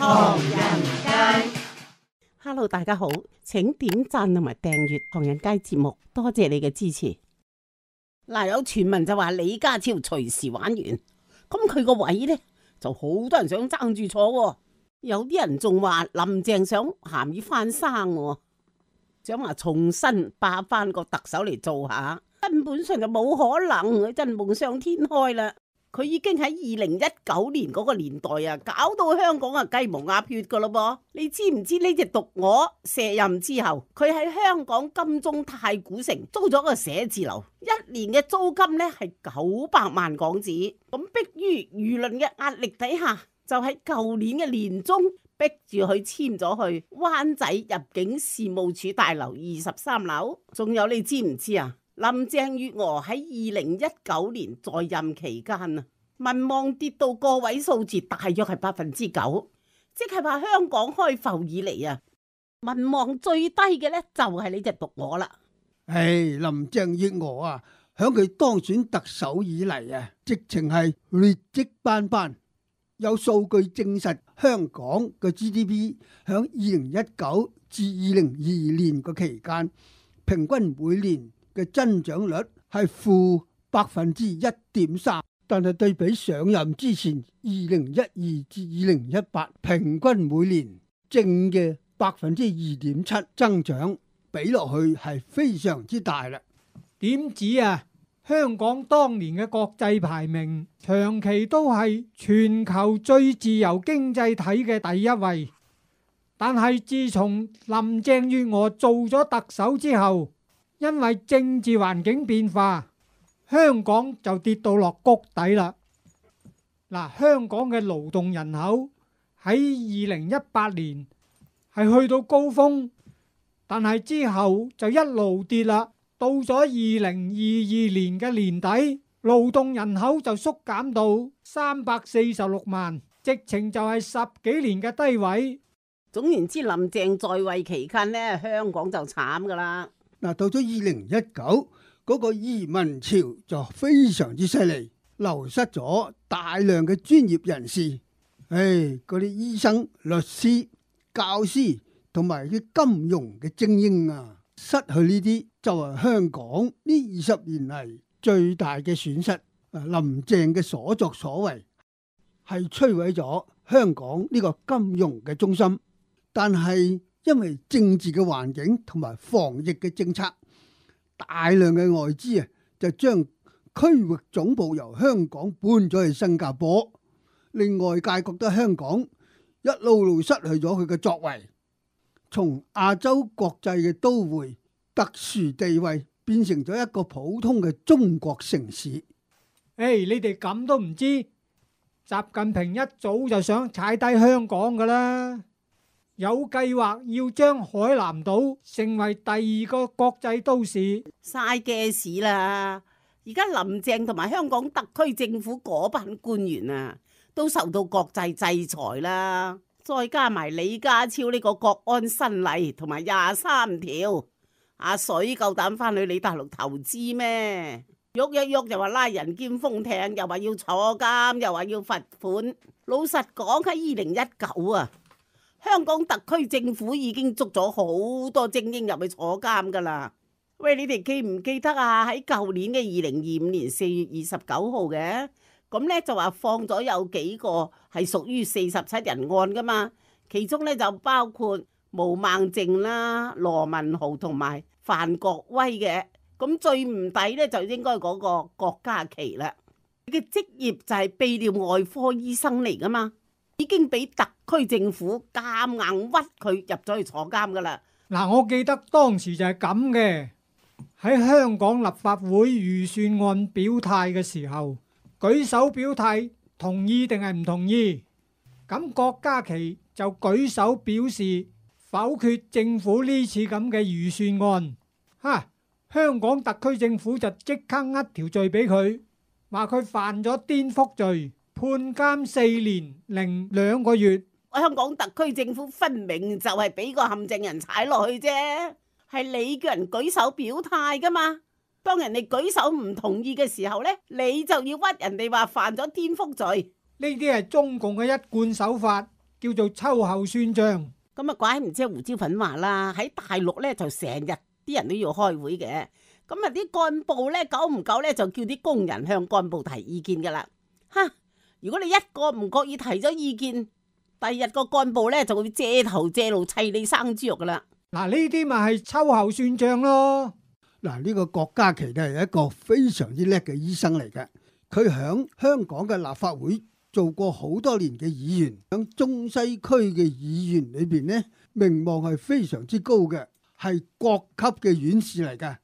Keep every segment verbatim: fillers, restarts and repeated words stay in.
唐人街。Hello， 大家好，請點讚同埋訂閱唐人街節目，多謝你嘅支持。嗱，有傳聞就話李家超隨時玩完，咁佢個位呢，就好多人想爭住坐，有啲人仲話林鄭想鹹魚翻生，想話重新霸翻個特首嚟做下，根本上就冇可能，真夢想天開啦。佢已經喺二零一九年嗰個年代啊，搞到香港啊雞毛鴨血噶咯噃。你知唔知呢隻毒鵝卸任之後，佢喺香港金鐘太古城租咗個寫字樓，一年嘅租金呢係九百萬港紙。咁迫於輿論嘅壓力底下，就喺舊年嘅年中逼住佢簽咗去灣仔入境事務處大樓二十三樓。仲有你知唔知啊？林鄭月娥喺二零一九年在任期間啊，民望跌到個位數字，大約係百分之九，即係話香港開埠以嚟啊，民望最低嘅呢就係呢隻毒鵝啦。唉，林鄭月娥啊，響佢當選特首以嚟啊，直情係劣跡斑斑。有數據證實，香港嘅 G D P 響二零一九至二零二二年個期間，平均每年嘅增長率係負百分之一點三，但係對比上任之前二零一二至二零一八平均每年正嘅百分之二點七增長，比落去係非常之大啦。點止啊？香港當年嘅國際排名長期都係全球最自由經濟體嘅第一位，但係自從林鄭月娥做咗特首之後，因為政治環境變化，香港就跌到落谷底啦。嗱，香港嘅勞動人口喺二零一八年係去到高峰，但係之後就一路跌啦。到咗二零二二年嘅年底，勞動人口就縮減到三百四十六萬，直情就係十幾年嘅低位。總言之，林鄭在位期間呢，香港就慘噶啦。嗱，到咗二零一九嗰個移民潮就非常之犀利，流失咗大量嘅專業人士，唉，嗰啲醫生、律師、教師同埋啲金融嘅精英啊，失去呢啲就係香港呢二十年嚟最大嘅損失。林鄭嘅所作所為係摧毀咗香港呢個金融嘅中心，但係因為政治嘅環境同埋防疫嘅政策，大量嘅外資啊，就將區域總部由香港搬咗去新加坡，令外界覺得香港一路路失去咗佢嘅作為，從亞洲國際嘅都會特殊地位變成咗一個普通嘅中國城市。誒，你哋咁都唔知，習近平一早就想踩低香港噶啦。有計劃要將海南島成為第二個國際都市，嘥嘅事啦！而家林鄭同埋香港特區政府嗰班官員啊，都受到國際制裁啦。再加埋李家超呢個國安新例同埋廿三條，阿水夠膽翻去你大陸投資咩？喐一喐就話拉人兼封艇，又話要坐監，又話要罰款。老實講，喺二零一九啊，香港特區政府已經捉咗好多精英入去坐監噶啦。喂，你哋記唔記得啊？喺舊年嘅二零二五年四月二十九號嘅，咁呢就話放咗有幾個係屬於四十七人案噶嘛，其中呢就包括毛孟靜啦、羅文豪同埋范國威嘅。咁最唔抵呢，就應該嗰個郭家麒啦。佢嘅職業就係泌尿外科醫生嚟噶嘛，已經俾特區政府夾硬屈佢入咗去坐監噶啦。嗱，我記得當時就係咁嘅，喺香港立法會預算案表態嘅時候，舉手表態同意定係唔同意，咁郭家麒就舉手表示否決政府呢次咁嘅預算案。哈！香港特區政府就即刻呃條罪俾佢，話佢犯咗顛覆罪，判監四年零兩個月。香港特區政府分明就係俾個陷阱人踩落去啫，係你叫人舉手表態噶嘛。當人哋舉手唔同意嘅時候呢，你就要屈人哋話犯咗顛覆罪。呢啲係中共嘅一貫手法，叫做秋後算賬。咁啊，怪唔知胡椒粉話啦，喺大陸咧就成日啲人都要開會嘅，咁啊啲幹部咧久唔久咧就叫啲工人向幹部提意見噶啦。哈！如果你一個唔覺意提咗意見，第二日個幹部咧就會借頭借路砌你生豬肉噶啦。嗱，呢啲咪係秋後算賬咯。嗱，呢個郭家麒咧係一個非常之叻嘅醫生嚟嘅，佢響香港嘅立法會做過好多年嘅議員，響中西區嘅議員裏邊呢，名望係非常之高嘅，係國級嘅院士嚟嘅。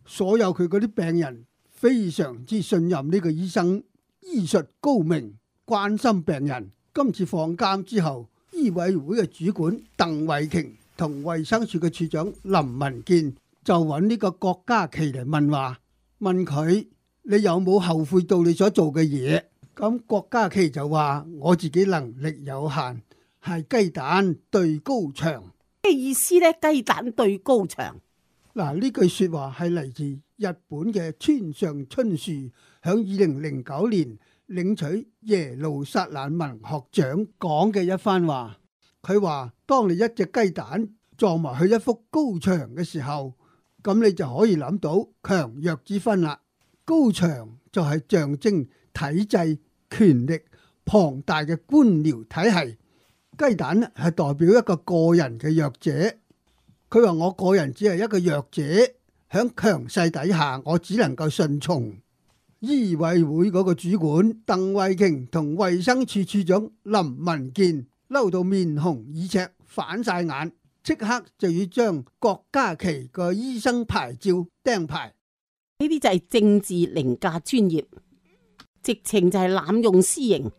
所有佢嗰啲病人非常之信任呢個醫生，醫術高明，關心病人。今次放監之後，醫委會嘅主管鄧惠瓊同衛生署嘅署長林文健就揾呢個郭家麒嚟問話，問佢你有冇後悔到你所做嘅嘢？咁郭家麒就話我自己能力有限，係雞蛋對高牆。咩意思呢？雞蛋對高牆。嗱，呢句說話係嚟自日本嘅村上春樹響二零零九年領取耶路撒冷文學獎講嘅一番話。佢話當你一隻雞蛋撞埋去一幅高牆嘅時候，咁你就可以諗到強弱之分啦。高牆就係象徵體制、權力龐大嘅官僚體系，雞蛋係代表一個個人嘅弱者。佢話我個人只係一個弱者，響強勢底下，我只能夠順從。醫委會嗰個主管鄧惠瓊同衛生署署長林文健嬲到面紅耳赤，反晒眼，即刻就要將郭家麒個醫生牌照釘牌。呢啲就係政治凌駕專業，直情就係濫用私刑。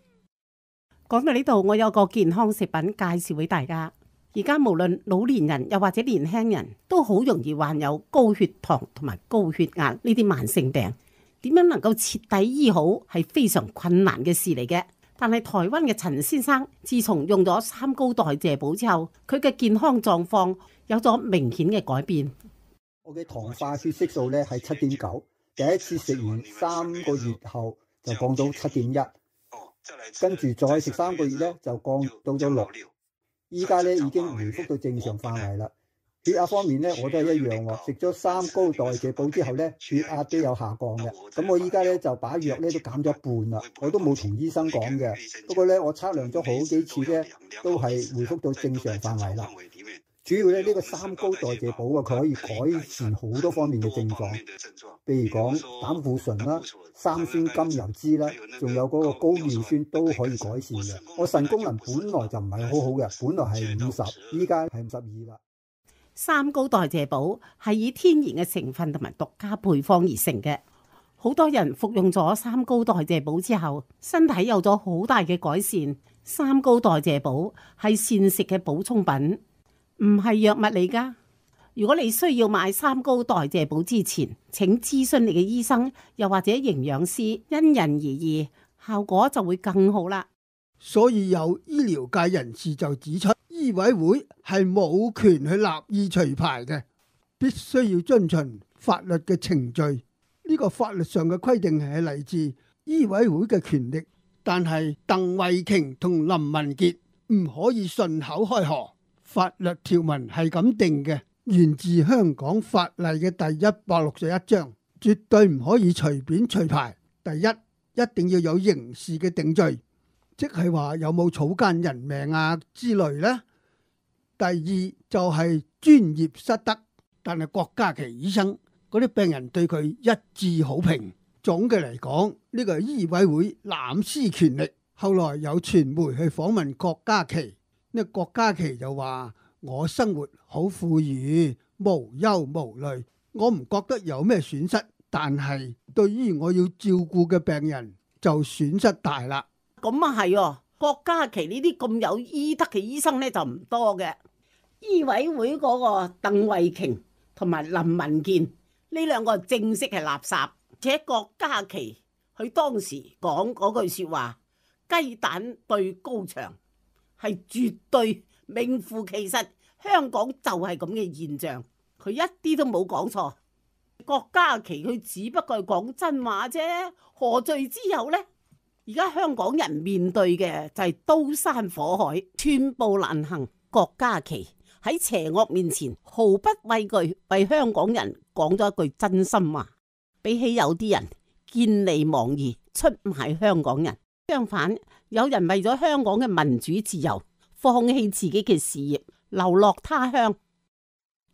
講到呢度，我有個健康食品介紹俾大家。而家無論老年人又或者年輕人都好容易患有高血糖同埋高血壓呢啲慢性病，點樣能夠徹底醫好係非常困難嘅事嚟嘅。但係台灣嘅陳先生自從用咗三高代謝寶之後，佢嘅健康狀況有咗明顯嘅改變。我嘅糖化血色素咧係七點九，第一次食完三個月後就降到七點一，跟住再食三個月咧就降到咗六。依家咧已經回復到正常範圍啦。血壓方面咧我都係一樣喎，食咗三高代謝寶之後咧血壓都有下降嘅。咁我依家咧就把藥咧都減咗一半啦，我都冇同醫生講嘅。不過咧我測量咗好幾次咧都係回復到正常範圍啦。主要咧呢個三高代謝寶啊，佢可以改善好多方面嘅症狀，譬如講膽固醇啦、三酸甘油酯啦，仲有嗰個高尿酸都可以改善嘅。我腎功能本來就唔係好好嘅，本來係五十，依家係五十二啦。三高代謝寶係以天然嘅成分同埋獨家配方而成嘅。好多人服用咗三高代謝寶之後，身體有咗好大嘅改善。三高代謝寶係膳食嘅補充品，唔係藥物嚟噶。如果你需要買三高代謝寶之前，請諮詢你嘅醫生，又或者營養師，因人而異，效果就會更好啦。所以有醫療界人士就指出，醫委會係冇權去立意除牌嘅，必須要遵循法律嘅程序。呢個法律上嘅規定係嚟自醫委會嘅權力，但係鄧惠瓊同林文傑唔可以順口開河。法律條文係咁定嘅，源自香港法例嘅第一百六十一章，絕對唔可以隨便除牌。第一，一定要有刑事嘅定罪，即係話有冇草菅人命啊之類呢。第二就係專業失德，但係郭家麒醫生嗰啲病人對佢一致好評。總嘅嚟講，呢個醫委會濫施權力。後來有傳媒去訪問郭家麒。呢郭家麒就話：我生活好富裕，無憂無慮，我唔覺得有咩損失。但係對於我要照顧嘅病人就損失大啦。咁啊係，郭家麒呢啲咁有醫德嘅醫生咧就唔多嘅。醫委會嗰個鄧惠瓊同埋林文健呢兩個正式係垃圾。而且郭家麒佢當時講嗰句說話：雞蛋對高牆。係絕對名副其實，香港就係咁嘅現象，佢一啲都冇講錯。郭家麒佢只不過係講真話啫，何罪之有呢？而家香港人面對嘅就係刀山火海，寸步難行。郭家麒喺邪惡面前毫不畏懼，為香港人講咗一句真心話。比起有啲人見利忘義，出賣香港人，相反有人為咗香港嘅民主自由，放棄自己嘅事業，流落他鄉。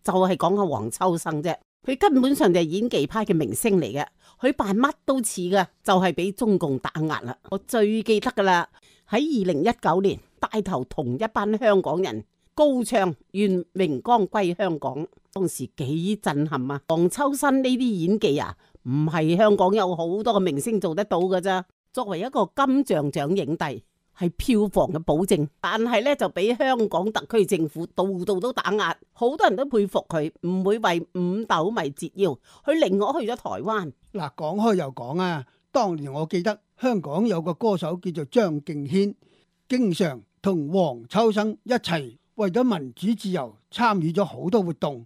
就係講下黃秋生啫，佢根本上就係演技派嘅明星嚟嘅，佢扮乜都似噶，就係俾中共打壓啦。我最記得噶啦，喺二零一九年帶頭同一班香港人高唱願榮光歸香港，當時幾震撼啊！黃秋生呢啲演技啊，唔係香港有好多個明星做得到噶咋。作為一個金像獎影帝，係票房嘅保證，但係咧就俾香港特區政府度度都打壓，好多人都佩服佢，唔會為五斗米折腰，佢寧可去咗台灣。嗱，講開又講啊，當年我記得香港有個歌手叫做張敬軒，經常同黃秋生一齊為咗民主自由參與咗好多活動。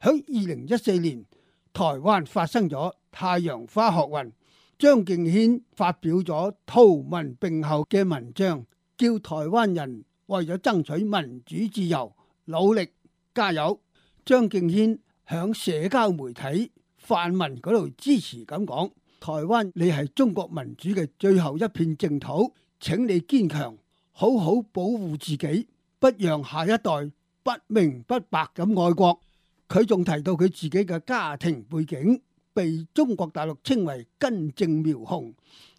喺二零一四年，台灣發生咗太陽花學運。張敬軒發表咗圖文並茂嘅文章，叫台灣人為咗爭取民主自由努力加油。張敬軒響社交媒體泛文嗰度支持咁講：台灣你係中國民主嘅最後一片淨土，請你堅強，好好保護自己，不讓下一代不明不白咁愛國。佢仲提到佢自己嘅家庭背景，被中國大陸稱為根正苗紅，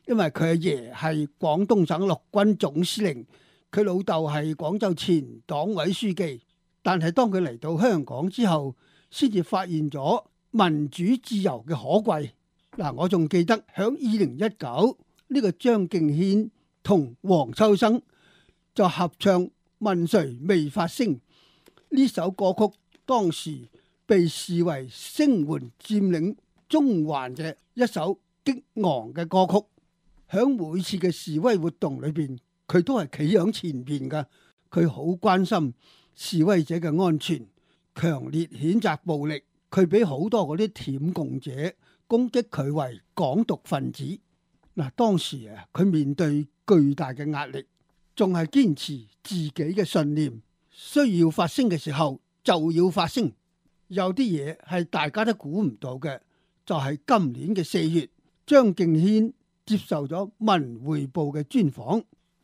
因為佢阿爺係廣東省陸軍總司令，佢老豆係廣州前黨委書記。但係當佢嚟到香港之後，先至發現咗民主自由嘅可貴。嗱，我仲記得響二零一九呢個張敬軒同黃秋生就合唱《問誰未發聲》呢首歌曲，當時被視為聲援佔領中環嘅一首激昂嘅歌曲。響每次嘅示威活動裏邊，佢都係企喺前邊噶，佢好關心示威者嘅安全，強烈譴責暴力。佢俾好多嗰啲舔共者攻擊佢為港獨分子。嗱，當時啊，佢面對巨大嘅壓力，仲係堅持自己嘅信念，需要發聲嘅時候就要發聲。有啲嘢係大家都估唔到嘅，就係今年嘅四月，張敬軒接受咗《文匯報》嘅專訪，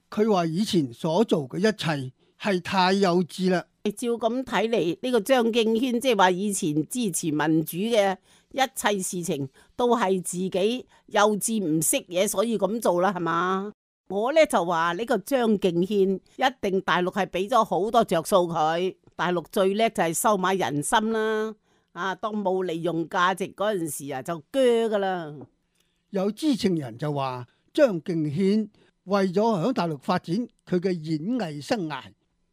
佢話以前所做嘅一切係太幼稚啦。照咁睇嚟，呢個張敬軒即係話以前支持民主嘅一切事情都係自己幼稚唔識嘢，所以咁做啦，係嘛？我呢就話呢個張敬軒一定大陸係俾咗好多着數佢，大陸最叻就係收買人心啦。啊，當冇利用價值嗰陣時啊，就鋸噶啦。有知情人就話張敬軒為咗響大陸發展佢嘅演藝生涯，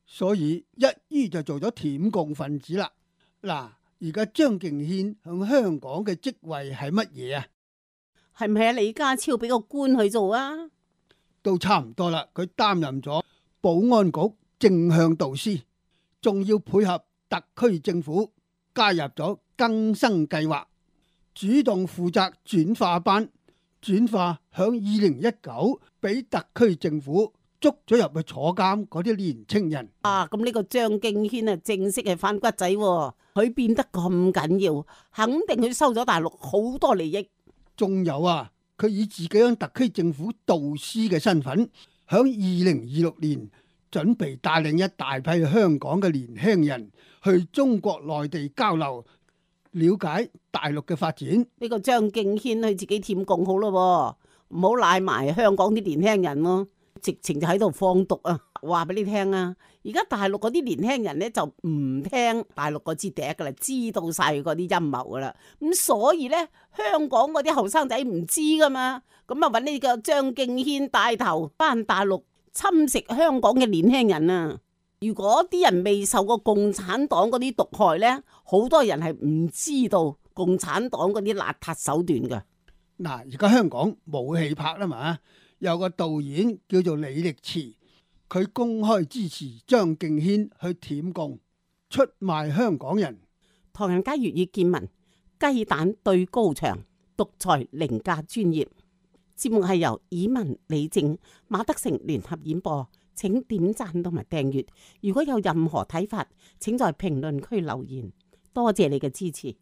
所以一於就做咗舔共分子啦。嗱，而家張敬軒響香港嘅職位係乜嘢啊？係唔係啊？李家超俾個官去做啊？都差唔多啦，佢擔任咗保安局正向導師，仲要配合特區政府加入咗更生計劃，主動負責轉化班，轉化響二零一九俾特區政府捉咗入去坐監嗰啲年青人。啊，咁呢個張敬軒啊，正式係反骨仔，佢變得咁緊要，肯定佢收咗大陸好多利益。仲有啊，佢以自己響特區政府導師嘅身份，響二零二六年準備帶領一大批香港嘅年輕人去中國內地交流，了解大陸嘅發展。呢個張敬軒佢自己舔共好咯，唔好賴埋香港啲年輕人咯，直情就喺度放毒啊！話俾你聽啊，而家大陸嗰啲年輕人咧就唔聽大陸嗰支笛噶啦，知道晒嗰啲陰謀噶啦，咁所以咧香港嗰啲後生仔唔知噶嘛，咁啊搵呢個張敬軒帶頭返大陸侵蝕香港嘅年輕人啊！如果啲人未受過共產黨嗰啲毒害咧，好多人係唔知道共產黨嗰啲邋遢手段噶。嗱，而家香港冇戲拍啦嘛，有個導演叫做李力持，佢公開支持張敬軒去舔共，出賣香港人。唐人街粵語見聞，雞蛋對高牆，獨裁凌駕專業。節目係由以文、李靜、馬德成聯合演播，請點讚同埋訂閱。如果有任何睇法，請在評論區留言。多謝你嘅支持。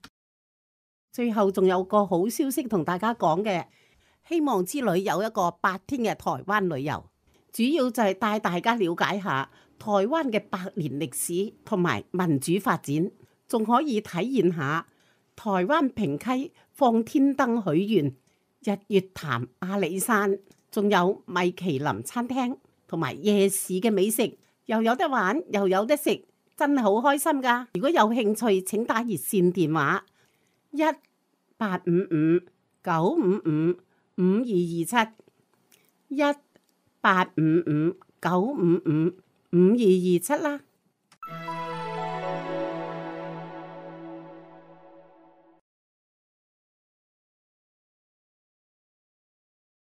最後仲有個好消息同大家講嘅，希望之旅有一個八天嘅台灣旅遊，主要就係帶大家了解下台灣嘅百年歷史同埋民主發展，仲可以體驗下台灣平溪放天燈許願、日月潭阿里山，仲有米其林餐廳同埋夜市嘅美食，又有得玩又有得食，真係好開心㗎！如果有興趣，請打熱線電話一八五五九五五五二二七一八五五九五五五二二七啦。